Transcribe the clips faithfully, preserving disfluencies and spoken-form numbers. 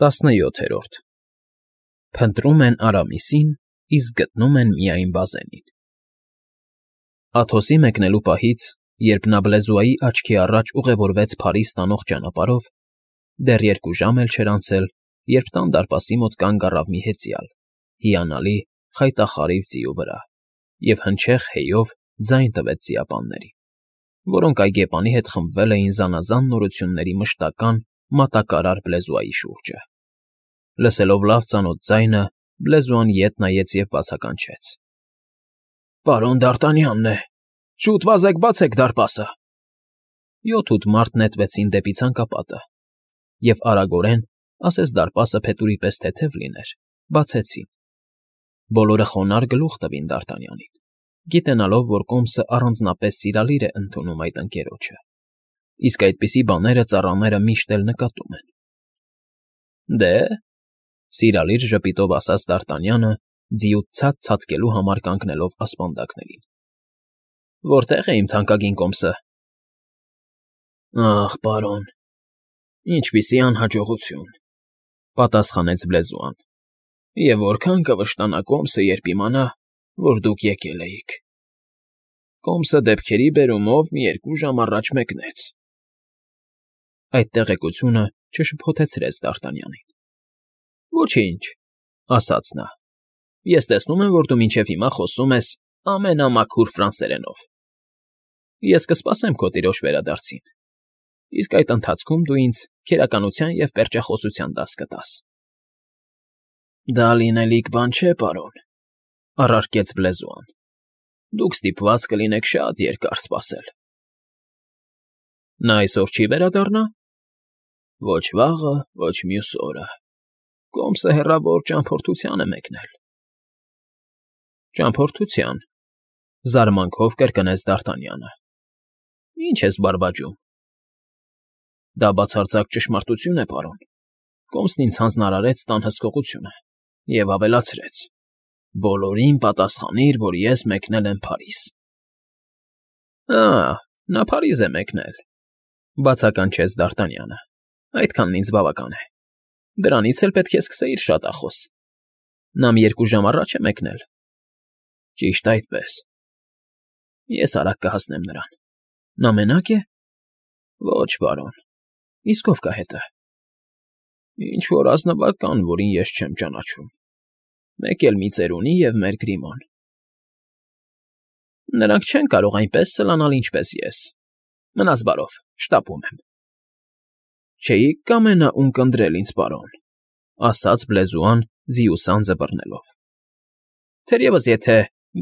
Տասնյոթերորդ Փնտրում են Արամիսին, իսկ գտնում են միայն բազենին։ Աթոսի մեկնելու պահից, երբ նա Բլեզուայի աչքի առաջ ուղևորվեց Փարիզ տանող ճանապարհով, դեռ երկու ժամ էլ չէր անցել, երբ տան դարպասի մոտ կանգ առավ մի հեծյալ, հիանալի, խայտախարիվ ձիու վրա, և հնչեղ հեյով ձայն տվեց ծիապաններին, որոնք այգեպանի հետ խմբվել էին զանազան նորությունների մշտական, մատակարար Բլեզուայի շուրջը։ Լսելով լավ ծանոթ ձայնը, Բլեզուան ետ նայեց և բացականչեց. ֊ Պարոն Դ'Արտանյանն է… Շուտ վազեք, բացեք դարպասը… Յոթ ութ մարդ նետվեցին դեպի ցանկապատը և արագորեն, ասես դարպասը փետուրի պես թեթև լիներ, բացեցին։ Բոլորը խոնարհ գլուխ տվին Դ'Արտանյանին, գիտակցելով, որ կոմսը առանձնապես սիրալիր է ընդունում այդ ընկերոջը, իսկ այդպիսի բաները ծառաները միշտ էլ նկատում են։ ֊ Դե,֊ սիրալիր ժպիտով ասաց Դ'Արտանյանը, ձիուց ցած ցատկելու համար կանգնելով ասպանդակներին։ ֊ Որտե՞ղ է իմ թանկագին կոմսը։ ֊ Ախ, պարոն, ինչպիսի անհաջողություն,֊ պատասխանեց Բլեզուան,֊ և որքան կվշտանա կոմսը, երբ իմանա, որ դուք եկել էիք… Կոմսը դեպքերի բերումով մի երկու ժամ առաջ մեկնեց… Այդ տեղեկությունը չշփոթեցրեց Դ'Արտանյանին։ ֊ Ոչինչ,֊ ասաց նա,֊ ես տեսնում եմ, որ դու մինչև հիմա խոսում ես ամենամաքուր ֆրանսերենով… Ես կսպասեմ քո տիրոջ վերադարձին, իսկ այդ ընթացքում դու ինձ քերականության և պերճախոսության դաս կտաս։ ֊ Դա լինելիք բան չէ, պարոն,֊ առարկեց Բլեզուան,֊ դուք ստիպված կլինեք շատ երկար սպասել։ ֊ Նա այսօր չի՞ վերադառնա։ ֊ Ոչ վաղը, ոչ մյուս օրը… Կոմսը հեռավոր ճամփորդության է մեկնել։ ֊ Ճամփորդության,֊ զարմանքով կրկնեց Դ'Արտանյանը։֊ Ի՞նչ ես բարբաջում։ ֊ Դա բացարձակ ճշմարտություն է, պարոն… Կոմսն ինձ հանձնարարեց տան հսկողությունը և ավելացրեց. բոլորին պատասխանիր, որ ես մեկնել եմ Փարիզ։ ֊ Ա՜, նա Փարիզ է մեկնել,֊ բացականչեց Դ'Արտանյանը։֊ Այդքանն ինձ բավական է… Դրանից էլ պետք է սկսեիր շատախոս… Նա մի երկու ժամ առաջ է մեկնել։ ֊ Ճիշտ այդպես։ ֊ Ես արագ կհասնեմ նրան։ Նա մենա՞կ է։ ֊ Ոչ, պարոն։ ֊ Իսկ ո՞վ կա հետը։ ֊ Ինչ֊որ ազնվական, որին ես չեմ ճանաչում… Մեկ էլ մի ծերունի և մեր Գրիմոն… Նրանք չեն կարող այնպես սլանալ, ինչպես ես… Մնաս բարով, շտապում եմ։ ֊ Չէի՞ք կամենա ունկնդրել ինձ, պարոն,֊ ասաց Բլեզուան, ձիու սանձը բռնելով,֊ թերևս եթե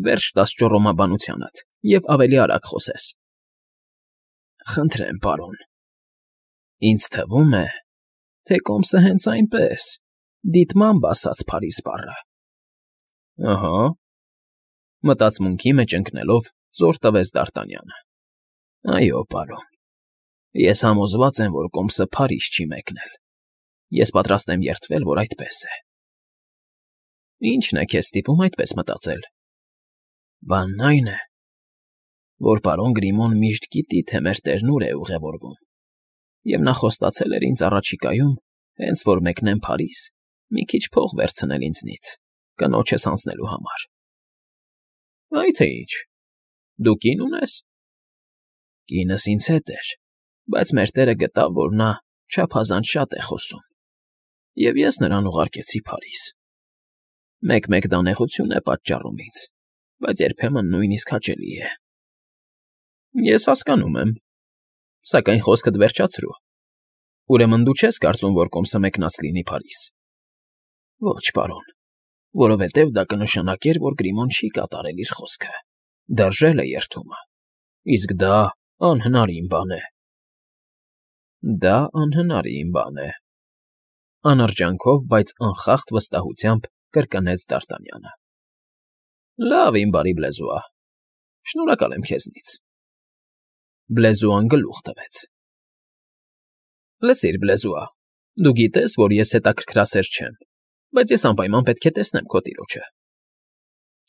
վերջ տաս ճոռոմաբանությանդ և ավելի արագ խոսես։ ֊ Խնդրեմ, պարոն… Ինձ թվում է, թե կոմսը հենց այնպես, դիտմամբ ասաց Փարիզ բառը։ ֊ Ըհը…֊ մտածմունքի մեջ ընկնելով, զոր տվեց Դ'Արտանյանը։֊ Այո, պարոն… Ես համոզված եմ, որ կոմսը Փարիզ չի մեկնել… Ես պատրաստ եմ երդվել, որ այդպես է։ ֊ Ի՞նչն է քեզ ստիպում այդպես մտածել։ ֊ Բանն այն է, որ պարոն Գրիմոն միշտ գիտի, թե մեր տերն ուր է ուղևորվում, և նա խոստացել էր ինձ առաջիկայում, հենց որ մեկնեմ Փարիզ, մի քիչ փող վերցնել ինձնից, կնոջս հանձնելու համար։ ֊ Այ թե ինչ… Դու կին ունե՞ս։ ֊ Կինս ինձ հետ էր, բայց մեր տերը գտավ, որ նա չափազանց շատ է խոսում, և ես նրան ուղարկեցի Փարիզ։ Մեկ֊մեկ դա նեղություն է պատճառում ինձ, բայց երբեմն նույնիսկ հաճելի է։ ֊ Ես հասկանում եմ, սակայն խոսքդ վերջացրու… Ուրեմն դու չես կարծում, որ կոմսը մեկնած լինի Փարիզ։ ֊ Ոչ, պարոն, որովհետև դա կնշանակեր, որ Գրիմոն չի կատարել իր խոսքը, դրժել է երդումը, իսկ դա անհնարին բան է։ ֊ Դա անհնարին բան է…֊ անրջանքով, բայց անխախտ վստահությամբ կրկնեց Դ'Արտանյանը։ ֊ Լավ, իմ բարի Բլեզուա… Շնորհակալ եմ քեզնից… Բլեզուան գլուխ տվեց։ ֊ Լսիր, Բլեզուա, դու գիտես, որ ես հետաքրքրասեր չեմ, բայց ես անպայման պետք է տեսնեմ քո տիրոջը…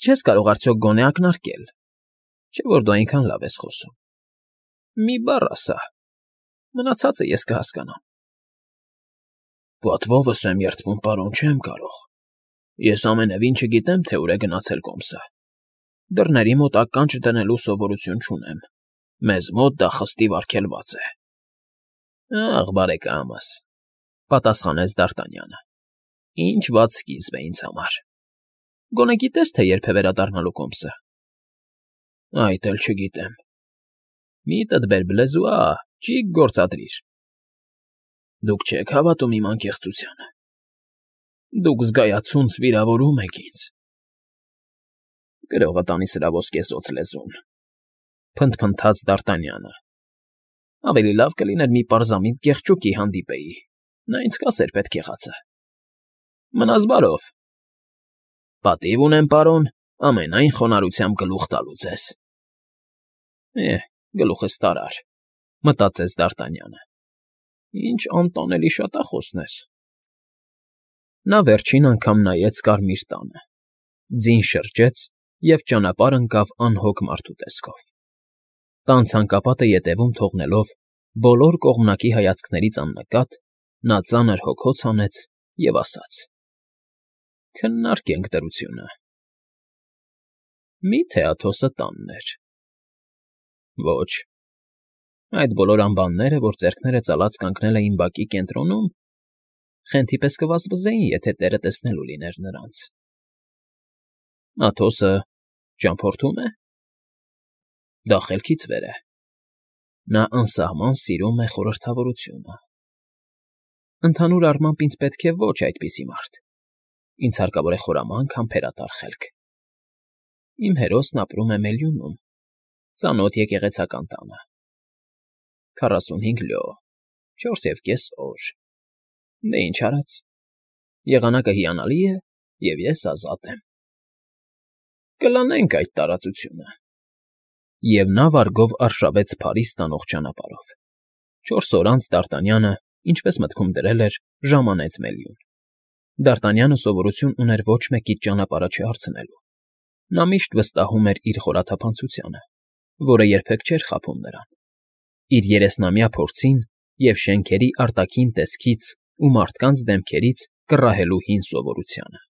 Չես կարող արդյոք գոնե ակնարկել, չէ՞ որ դու այնքան լավ ես խոսում… Մի բառ ասա… Մնացածը ես կհասկանամ։ ֊ Պատվովս եմ երդվում, պարոն, չեմ կարող։ Ես ամենևին չգիտեմ, թե ուր է գնացել կոմսը։ Դռների մոտ ականջ դնելու սովորություն չունեմ, մեզ մոտ դա խստիվ արգելված է։ Ախ, բարեկամս,֊ պատասխանեց Դ'Արտանյանը,֊ ինչ վատ սկիզբ է ինձ համար։ Գոնե գիտե՞ս, թե երբ է վերադառնալու կոմսը։ Այդ էլ չգիտեմ։ Միտդ բեր բլեզուա, չի գործադրիր։ Դուք չեք հավատում իմ անկեղծությանը։ Դուք զգայացունց վիրավորում եք ինձ։ Գրողը տանի սրա ոսկեզօծ լեզուն,֊ փնթփնթաց Դ'Արտանյանը։ Ավելի լավ կլիներ մի պարզամիտ կեղճուկի հանդիպեի, նա ինձ կասեր պետք եղածը։ Մնաս բարով։ Պատիվ ունեմ, պարոն, ամենայն խոնարհությամբ գլուխ տալու ձեզ։ Էհ, գլուխս տարար,֊ մտածեց Դ'Արտանյանը։ Ինչ անտանելի շատախոսն ես։ Նա վերջին անգամ նայեց կարմիր տանը, ձին շրջեց և ճանապարհ ընկավ անհոգ մարդու տեսքով։ Տան ցանկապատը ետևում թողնելով, բոլոր կողմնակի հայացքներից աննկատ, նա ծանր հոգոց հանեց և ասաց. «Քննարկենք դրությունը։ Մի՞թե Աթոսը տանն էր։ Ոչ։ Այդ բոլոր ամբանները, որ ձեռքները ծալած կանգնել էին բակի կենտրոնում, խենթի պես կվազվզեին, եթե տերը տեսնելու լիներ նրանց։ Աթոսը ճամփորդո՞ւմ է։ Դա խելքից վեր է։ Նա անսահման սիրում է խորհրդավորությունը։ Ընդհանուր առմամբ ինձ պետք է ոչ այդպիսի մարդ։ Ինձ հարկավոր է խորամանկ, համբերատար խելք։ Իմ հերոսն ապրում է Մելյունում, ծանոթ եկեղեցական տանը։ Քառասունհինգ լյո, չորս և կես օր։ Դե ինչ արած։ Եղանակը հիանալի է, և ես ազատ եմ։ Կլանենք այդ տարածությունը։ Եվ նա վարգով արշավեց Փարիզ տանող ճանապարհով։ Չորս օր անց Դ'Արտանյանը, ինչպես մտքում դրել էր, ժամանեց Մելյուն։ Դ'Արտանյանը սովորություն ուներ ոչ մեկից ճանապարհը չհարցնելու։ Նա միշտ վստահում էր իր խորաթափանցությանը, որը երբեք չէր խաբում նրան, իր երեսնամյա փորձին և շենքերի արտաքին տեսքից ու մարդկանց դեմքերից կռահելու հին սովորությանը։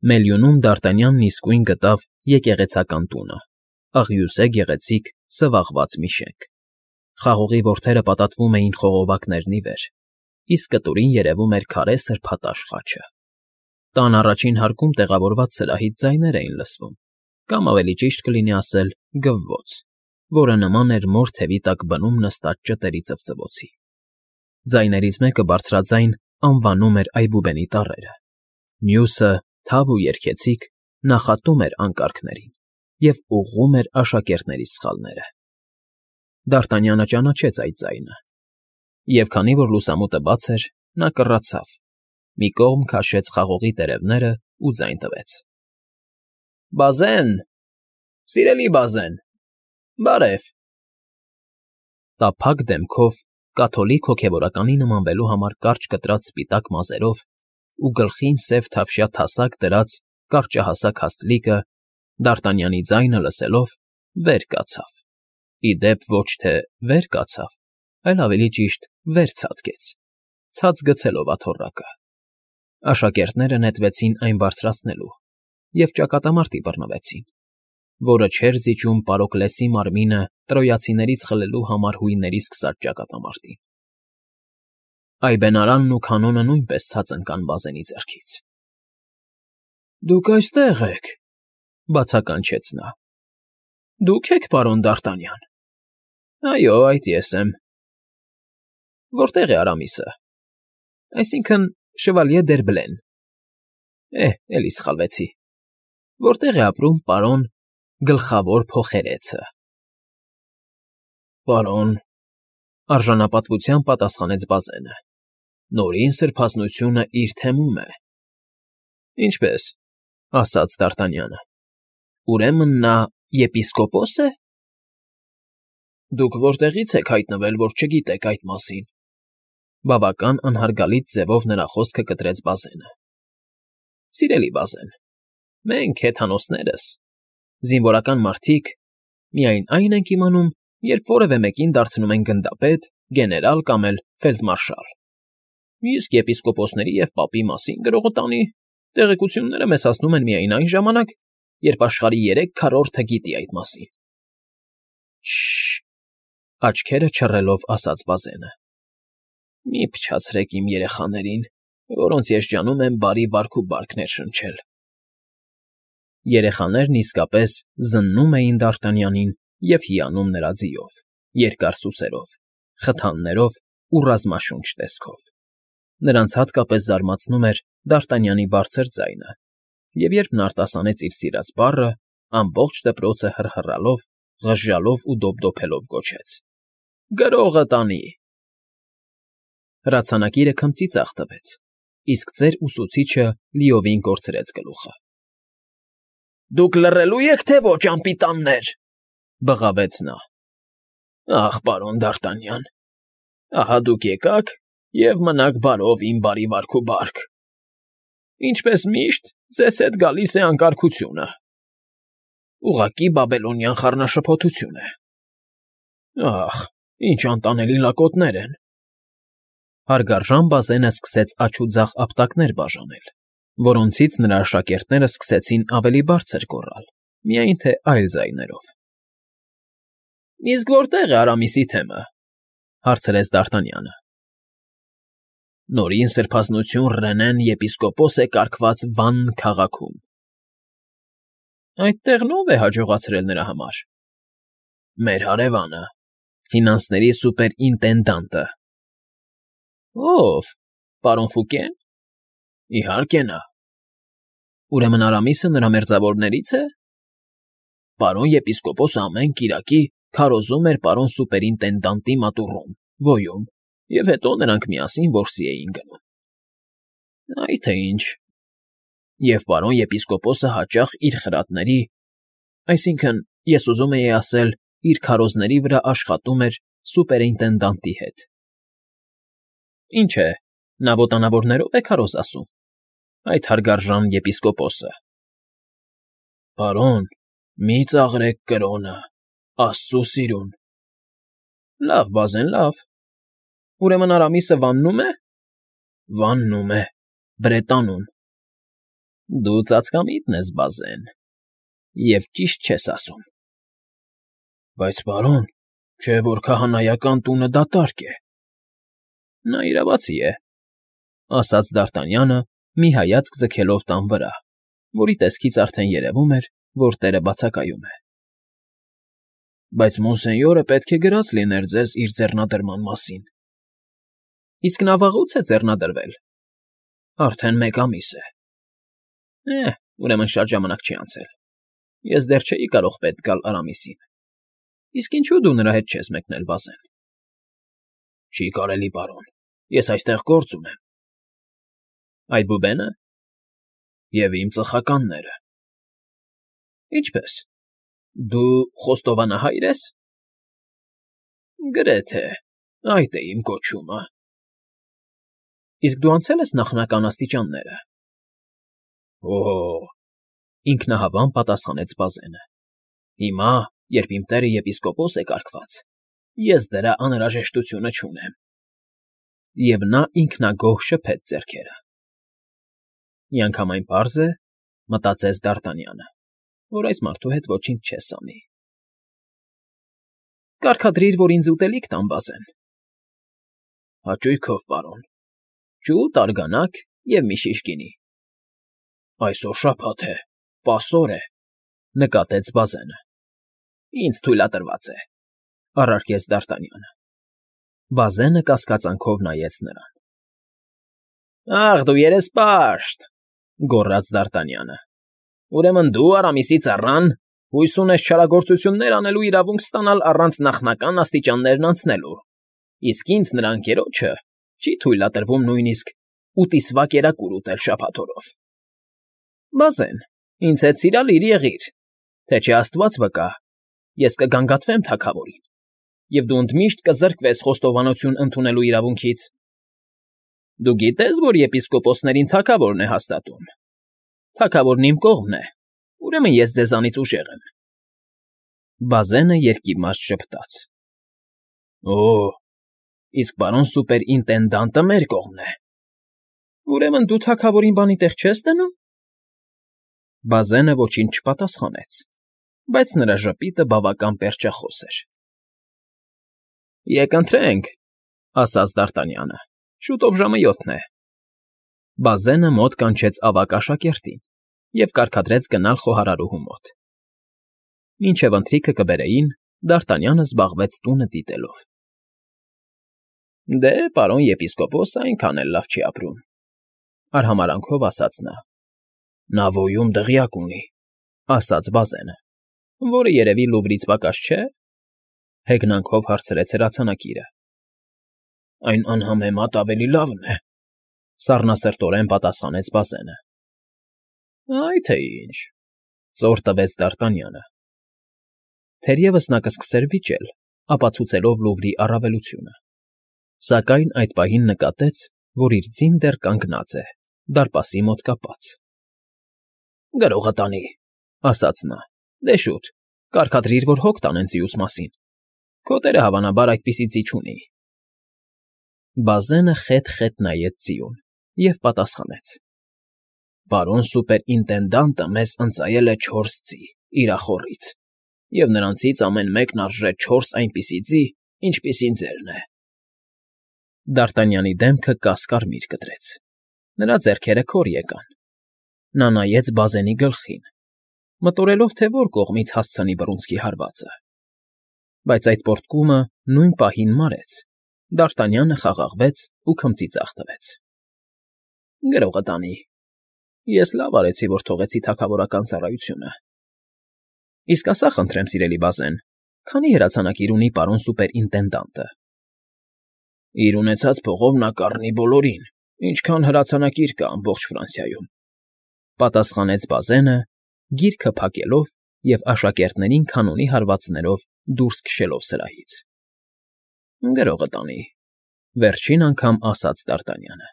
Մելյունում Դ'Արտանյանն իսկույն գտավ եկեղեցական տունը, աղյուսե գեղեցիկ, սվաղված մի շենք։ Խաղողի որդերը պատատվում էին խողովակներն ի վեր, իսկ կտուրին երևում էր քարե սրբատաշ խաչը։ Տան առաջին հարկում տեղավորված սրահից ձայներ էին լսվում, կամ ավելի ճիշտ կլինի ասել գվվոց, որը նման էր մոր թևի տակ բնում նստած ճտերի ծվծվոցի։ Ձայներից մեկը բարձրաձայն անվանում էր այբուբենի տառերը, մյուսը, թավ ու երգեցիկ, նախատում էր անկարգներին և ուղղում էր աշակերտների սխալները։ Դ'Արտանյանը ճանաչեց այդ ձայնը, և քանի որ լուսամուտը բաց էր, նա կռացավ, մի կողմ քաշեց խաղողի տերևները ու ձայն տվեց. Բազեն, սիրելի բազեն, բարև։ Տափակ դեմքով, կաթոլիկ հոգևորականի նմանվելու համար կարճ կտրած սպիտակ մազերով ու գլխին սև թավշյա թասակ դրած կարճահասակ հաստլիկը, Դ'Արտանյանի ձայնը լսելով, վեր կացավ, ի դեպ ոչ թե վեր կացավ, այլ ավելի ճիշտ վեր ցատկեց, ցած գցելով աթոռակը։ Աշակերտները նետվեցին այն բարձրացնելու և ճակատամարտի բռնվեցին, որը չէր զիջում Պարոկլեսի մարմինը տրոյացիներից խլելու համար հույնների սկսած ճակատամարտին։ Այբենարանն ու քանոնը նույնպես ցած ընկան բազենի ձեռքից։ Դուք այստեղ եք,֊ բացականչեց նա։ Դուք եք, պարոն Դ'Արտանյան։ Այո, այդ ես եմ։ Որտե՞ղ է Արամիսը։ Այսինքն՝ Շվալյե Դերբլեն։ Էհ, էլի սխալվեցի։ Որտե՞ղ է ապրում պարոն Գլխավոր փոխերեցը։ Պարոն,֊ արժանապատվությամբ պատասխանեց բազենը,֊ Նորին սրբազնությունը իր թեմում է։ Ինչպե՞ս,֊ ասաց Դ'Արտանյանը։ Ուրեմն նա եպիսկոպոս է։ Դուք որտեղի՞ց եք հայտնվել, որ չգիտեք այդ մասին։ Բավական անհարգալից ձևով նրա խոսքը կտրեց բազենը։ Սիրելի բազեն, մենք հեթանոսներս, զինվորական մարդիկ, միայն այն ենք իմանում, երբ որևէ մեկին դարձնում են գնդապետ, գեներալ կամ էլ ֆելդմարշալ։ Իսկ եպիսկոպոսների և պապի մասին գրողը տանի տեղեկությունները մեզ հասնում են միայն այն ժամանակ, երբ աշխարհի երեք քառորդը գիտի այդ մասին։ ֊ Շ֊շ֊շ,֊ աչքերը չռելով ասաց Բազենը։ ֊ Մի փչացրեք իմ երեխաներին, որոնց ես ջանում եմ բարի վարք ու բարք ներշնչել… Երեխաներն իսկապես զննում էին Դ'Արտանյանին և հիանում նրա ձիով, երկար սուսերով, խթաններով ու ռազմաշունչ տեսքով. նրանց հատկապես զարմացնում էր Դ'Արտանյանի բարձր ձայնը, և երբ նա արտասանեց իր սիրած բառը, ամբողջ դպրոցը հռհռալով, ղժժալով ու դոփդոփելով գոչեց. «Գրողը տանի»։ Հրացանակիրը քմծի ձախ տվեց, իսկ ծեր ուսուցիչը լիովին կորցրեց գլուխը։ ֊ Դուք լռելի եք, թե ոչ, անպիտաններ,֊ բղավեց նա։ ֊ Ախ, պարոն Դ'Արտանյան, ահա դուք եկաք և մնաք բարով, իմ բարի վարք ու բարք… Ինչպես միշտ, ձեզ հետ գալիս է անկարգությունը… Ուղղակի բաբելոնյան խառնաշփոթություն է… Ախ, ինչ անտանելի լակոտներ են… Հարգարժան Բազենը սկսեց աջ ու ձախ ապտակներ բաժանել, որոնցից նրա աշակերտները սկսեցին ավելի բարձր գոռալ, միայն թե այլ ձայներով։ ֊ Իսկ որտե՞ղ է Արամիսի թեմը,֊ հարցրեց Դ'Արտանյանը։ ֊ Նորին սրբազնություն Ռենեն եպիսկոպոս է կարգված Վանն քաղաքում։ ֊ Այդտեղն ո՞վ է հաջողացրել նրա համար։ ֊ Մեր հարևանը, ֆինանսների սուպերինտենդանտը։ ֊ Ո՞վ, պարոն Ֆուկե՞ն։ ֊ Իհարկե նա։ ֊ Ուրեմն Արամիսը նրա մերձավորների՞ց է։ ֊ Պարոն եպիսկոպոսը ամեն կիրակի քարոզում էր պարոն սուպերինտենդանտի մատուռում, ոյում, և հետո նրանք միասին որսի էին գնում։ ֊ Այ թե ինչ… Եվ պարոն եպիսկոպոսը հաճախ իր խրատների, այսինքն, ես ուզում էի ասել, իր քարոզների վրա աշխատում էր սուպերինտենդանտի հետ։ ֊ Ինչ է, նա ոտանավորներով է քարոզ ասում, այդ հարգարժան եպիսկոպոսը։ ֊ Պարոն, մի ծաղրեք կրոնը, աստծու սիրուն… ֊ Լավ, Բազեն, լավ… Ուրեմն Արամիսը վաննո՞ւմ է։ ֊ Վաննում է, Բրետանում։ ֊ Դու ծածկամիտն ես, Բազեն, և ճիշտ չես ասում։ ֊ Բայց, պարոն, չէ՞ որ քահանայական տունը դատարկ է։ ֊ Նա իրավացի է,֊ ասաց Դ'Արտանյանը, մի հայացք ձգելով տան վրա, որի տեսքից արդեն երևում էր, որ տերը բացակայում է։ ֊ Բայց մոնսենյորը պետք է գրած լիներ ձեզ իր ձեռնադրման մասին։ ֊ Իսկ նա վաղուց է ձեռնադրվել։ ֊ Արդեն մեկ ամիս է։ ֊ Է՛հ, ուրեմն շատ ժամանակ չի անցել։ Ես դեռ չէի կարող պետք գալ Արամիսին։ Իսկ ինչո՞ւ դու նրա հետ չես մեկնել, Բազեն։ ֊ Չի կարելի, պարոն, ես այստեղ գործ ունեմ։ ֊ Այդ բուբենը։ ֊ Եվ իմ ծխականները։ ֊ Ինչպե՞ս, դու խոստովանահա՞յր ես։ ֊ Գրեթե, այդ է իմ կոչումը։ ֊ Իսկ դու անցե՞լ ես նախնական աստիճանները։ ֊ Օ՜օ,֊ ինքնահավան պատասխանեց Բազենը,֊ հիմա, երբ իմ տերը եպիսկոպոս է կարգված, ես դրա անհրաժեշտությունը չունեմ։ Եվ նա ինքնագոհ շփեց ձեռքերը։ Միանգամայն պարզ է, մտածեց Դ'Արտանյանը, որ այս մարդու հետ ոչինչ չես անի։ ֊ Կարգադրիր, որ ինձ ուտելիք տան, Բազեն։ ֊ Հաճույքով, պարոն, ջուտ, արգանակ և մի շիշ գինի։ ֊ Այսօր շաբաթ է, պասոր է,֊ նկատեց Բազենը։ ֊ Ինձ թույլատրված է,֊ առարկեց Դ'Արտանյանը։ Բազենը կասկածանքով նայեց նրան։ ֊ Ախ, դու երեսպաշտ,֊ գոռաց Դ'Արտանյանը,֊ ուրեմն դու, Արամիսի ծառան, հույս ունես չարագործություններ անելու իրավունք ստանալ առանց նախնական աստիճաններն անցնելու, իսկ ինձ, նրա ընկերոջը, չի թույլատրվում նույնիսկ ուտիսվա կերակուր ուտել շաբաթ օրով։ ֊ Բազեն, ինձ հետ սիրալիր եղիր, թե չէ աստված վկա, ես կգանգատվեմ թագավորին, և դու ընդմիշտ կզրկվես խոստովանություն ընդունելու իրավունքից։ ֊ Դու գիտե՞ս, որ եպիսկոպոսներին թագավորն է հաստատում։ Թագավորն իմ կողմն է, ուրեմն ես ձեզանից ուժեղ եմ։ Բազենը երկիմաց ժպտաց։ ֊ Օ՜, իսկ պարոն սուպերինտենդանտը մեր կողմն է։ Ուրեմն դու թագավորին բանի տեղ չես դնում։ Բազենը ոչինչ չպատասխանեց, բայց նրա ժպիտը բավական պերճախոս էր։ Եկ ընթրենք, ասաց Դ'Արտանյանը, շուտով ժամը յոթն է։ Բազենը մոտ կանչեց ավագ աշակերտին և կարգադրեց գնալ խոհարարուհու մոտ։ Մինչև ընթրիքը կբերեին, Դ'Արտանյանը զբաղվեց տունը դիտելով։ Դե, պարոն եպիսկոպոսը այնքան էլ լավ չի ապրում, արհամարհանքով ասաց նա։ Նա ոյում դղյակ ունի, ասաց Բազենը, որը երևի Լուվրից պակաս չէ, հեգնանքով հարցրեց հրացանակիրը։ Այն անհամեմատ ավելի լավն է, սառնասրտորեն պատասխանեց Բազենը։ Այ թե ինչ, ծոր տվեց Դ'Արտանյանը։ Թերևս նա կսկսեր վիճել, ապացուցելով Լուվրի առավելությունը, սակայն այդ պահին նկատեց, որ իր ձին դեռ կանգնած է, դարպասի մոտ կապած։ Գրողը տանի, ասաց նա, դե շուտ, կարգադրիր, որ հոգ տանեն ձիուս մասին, քո տերը հավանաբար այդպիսի ձի չունի։ Բազենը խետ֊խետ նայեց ձիուն և պատասխանեց. Պարոն սուպերինտենդանտը մեզ ընծայել է չորս ձի իր ախոռից, և նրանցից ամեն մեկն արժե չորս այնպիսի ձի, ինչպիսին ձերն է։ Դ'Արտանյանի դեմքը կաս֊կարմիր կտրեց, նրա ձեռքերը քոր եկան։ Նա նայեց Բազենի գլխին, մտորելով, թե որ կողմից հասցնի բռունցքի հարվածը։ Բայց այդ պոռթկումը նույն պահին մարեց, Դ'Արտանյանը խաղաղվեց ու քմծիծաղ տվեց։ Գրողը տանի, ես լավ արեցի, որ թողեցի թագավորական ծառայությունը։ Իսկ ասա խնդրեմ, սիրելի Բազեն, քանի հրացանակիր ունի պարոն սուպերինտենդանտը։ Իր ունեցած փողով նա կառնի բոլորին, ինչքան հրացանակիր կա ամբողջ Ֆրանսիայում, պատասխանեց Բազենը, գիրքը փակելով և աշակերտներին քանոնի հարվածներով դուրս քշելով սրահից։ Գրողը տանի, վերջին անգամ ասաց Դ'Արտանյանը։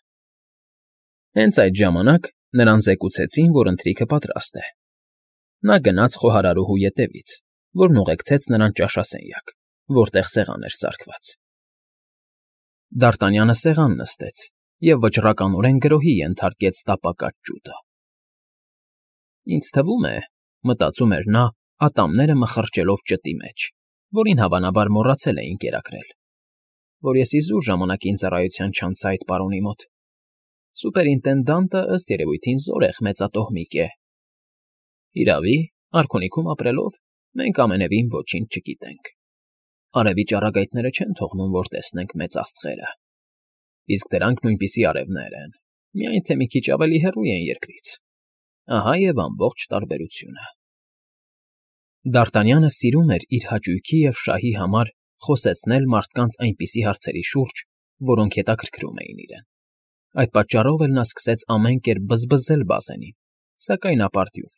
Հենց այդ ժամանակ նրան զեկուցեցին, որ ընթրիքը պատրաստ է։ Նա գնաց խոհարարուհու ետևից, որն ուղեկցեց նրան ճաշասենյակ, որտեղ սեղան էր սարքված։ Դ'Արտանյանը սեղան նստեց և վճռականորեն գրոհի ենթարկեց տապակած ջուտը։ Ինձ թվում է, մտածում էր նա, ատամները մխրճելով ճտի մեջ, որին հավանաբար մոռացել էին կերակրել, որ ես իզուր ժամանակին ծառայության չանցա այդ պարոնի մոտ։ Սուպերինտենդանտը ըստ երևույթին զորեղ մեծատոհմիկ է։ Իրավի, արքունիքում ապրելով, մենք ամենևին ոչինչ չգիտենք։ Արևի ճառագայթները չեն թողնում, որ տեսնենք մեծ աստղերը։ Իսկ դրանք նույնպիսի արևներ են, միայն թե մի քիչ ավելի հեռու են երկրից։ Ահա և ամբողջ տարբերությունը։ Դ'Արտանյանը սիրում էր իր հաճույքի և շահի համար խոսեցնել մարդկանց այնպիսի հարցերի շուրջ, որոնք հետաքրքրում էին իրեն։ Այդ պատճառով էլ նա սկսեց ամեն կերպ բզբզել Բազենին, սակայն ապարդյուն։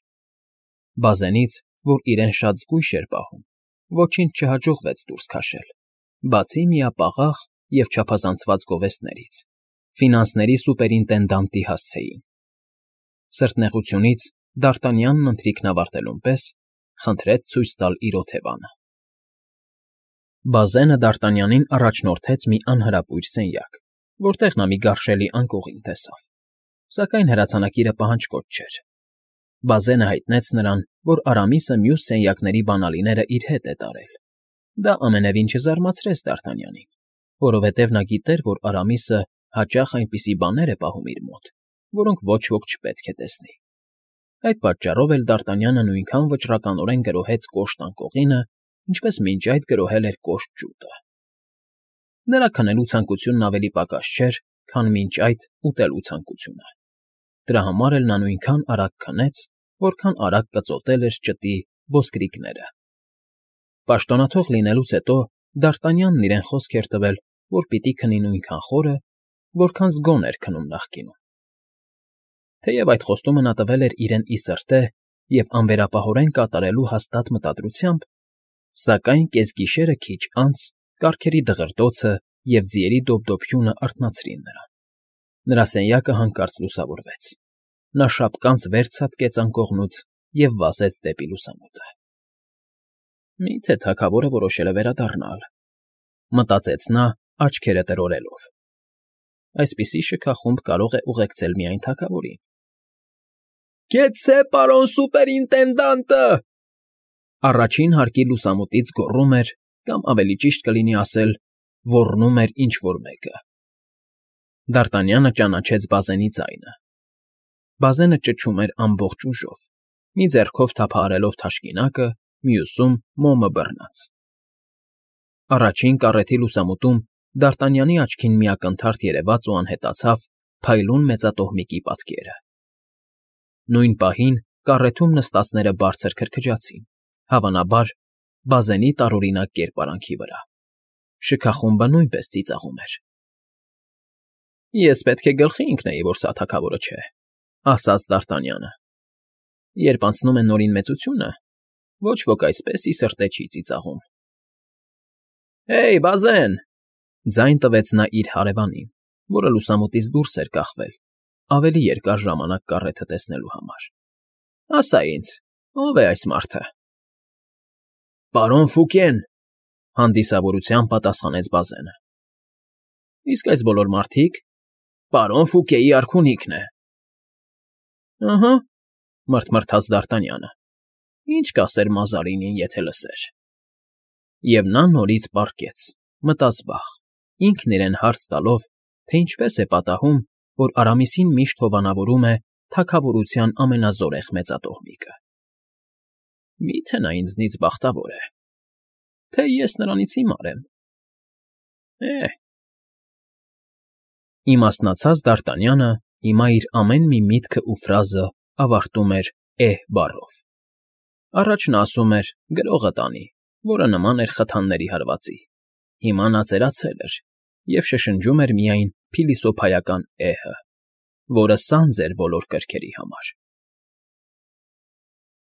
Բազենից, որ իրեն շատ զգույշ էր պահում, ոչինչ չհաջողվեց դուրս քաշել, բացի միապաղաղ և չափազանցված գովեստներից, ֆինանսների սուպերինտենդանտի հասցեին։ Սրտնեղությունից Դ'Արտանյանն ընթրիքն ավարտելուն պես խնդրեց ցույց տալ իր օթևանը։ Բազենը Դ'Արտանյանին առաջնորդեց մի անհրապույր սենյակ, որտեղ նա մի գարշելի անկողին տեսավ, սակայն հրացանակիրը պահանջկոտ չէր։ Բազենը հայտնեց նրան, որ Արամիսը մյուս սենյակների բանալիները իր հետ է տարել։ Դա ամենևին չզարմացրեց Դ'Արտանյանին, որովհետև նա գիտեր, որ Արամիսը հաճախ այնպիսի բաներ է պահում իր մոտ, որոնք ոչ ոք չպետք է տեսնի։ Այդ պատճառով էլ Դ'Արտանյանը նույնքան վճռականորեն գրոհեց կոշտ անկողինը, ինչպես մինչ այդ գրոհել էր կոշտ ջուտը։ Նրա քնելու ցանկությունն ավելի պակաս չէր, քան մինչ այդ ուտելու ցանկությունը։ Դրա համար էլ նա նույնքան արագ քնեց, որքան արագ կծոտել էր ճտի ոսկրիկները։ Պաշտոնաթող լինելուց հետո Դ'Արտանյանն իրեն խոսք էր տվել, որ պիտի քնի նույնքան խորը, որքան զգոն էր քնում նախկինում։ Թեև այդ խոստումը նա տվել էր իրեն ի սրտե և անվերապահորեն կատարելու հաստատ մտադրությամբ, սակայն կեսգիշերը քիչ անց կառքերի դղրդոցը և ձիերի դոփդոփյունը արթնացրին նրան։ Նրա սենյակը հանկարծ լուսավորվեց։ Նա շապկանց վեր ցատկեց անկողնուց և վազեց դեպի լուսամուտը։ Մի՞թե թագավորը որոշել է վերադառնալ, մտածեց նա, աչքերը տրորելով։ Այսպիսի շքախումբ կարող է ուղեկցել միայն թագավորին։ ֊ Գեցե, պարոն սուպերինտենդանտը,֊ առաջին հարկի լուսամուտից գոռում էր, կամ ավելի ճիշտ կլինի ասել, ոռնում էր ինչ֊որ մեկը։ Դարտանյանը ճանաչեց Բազենի ձայնը։ Բազենը ճչում էր ամբողջ ուժով, մի ձեռքով թափահարելով թաշկինակը, մյուսում՝ մոմը բռնած։ Առաջին կառեթի լուսամուտում Դարտանյանի աչքին մի ակնթարթ երևաց ու անհետացավ փայլուն մեծատոհմիկի պատկերը։ Նույն պահին կառեթում նստածները բարձր քրքջացին, հավանաբար, Բազենի տարօրինակ կերպարանքի վրա։ Շքախումբը նույնպես ծիծաղում էր։ ֊ Ես պետք է գլխի ընկնեի, որ սա թագավորը չէ,֊ ասաց Դարտանյանը։ Երբ անցնում է նորին մեծությունը, ոչ ոք այսպես ի սրտե չի ծիծաղում։ ֊ Հեյ, Բազեն,֊ ձայն տվեց նա իր հարևանին, որը լուսամուտից դուրս էր կախվել, ավելի երկար ժամանակ կառեթը տեսնելու համար,֊ ասա ինձ, ո՞վ է այս մարդը։ ֊ Պարոն Ֆուկեն,֊ հանդիսավորությամբ պատասխանեց Բազենը։ ֊ Իսկ այս բոլոր մարդիկ… Պարոն Ֆուկեի արքունիքն է։ ֊ Ըհը,֊ մռթմռթաց Դարտանյանը,֊ ինչ կասեր Մազարինին, եթե լսեր… Եվ նա նորից պառկեց, մտազբաղ, ինքն իրեն հարց տալով, թե ինչպես է պատահում, որ Արամիսին միշտ հովանավորում է թագավորության ամենազորեղ մեծատոհմիկը։ Մի՞թե նա ինձնից բախտավոր է, թե ես նրանից հիմար եմ… Է՜… Իմաստնացած Դարտանյանը հիմա իր ամեն մի միտքն ու ֆրազը ավարտում էր «էհ» բառով։ Առաջ նա ասում էր «գրողը տանի», որը նման էր խթանների հարվածի, հիմա նա ծերացել էր և շշնջում էր միայն փիլիսոփայական «էհ֊ը», որը սանձ էր բոլոր կրքերի համար։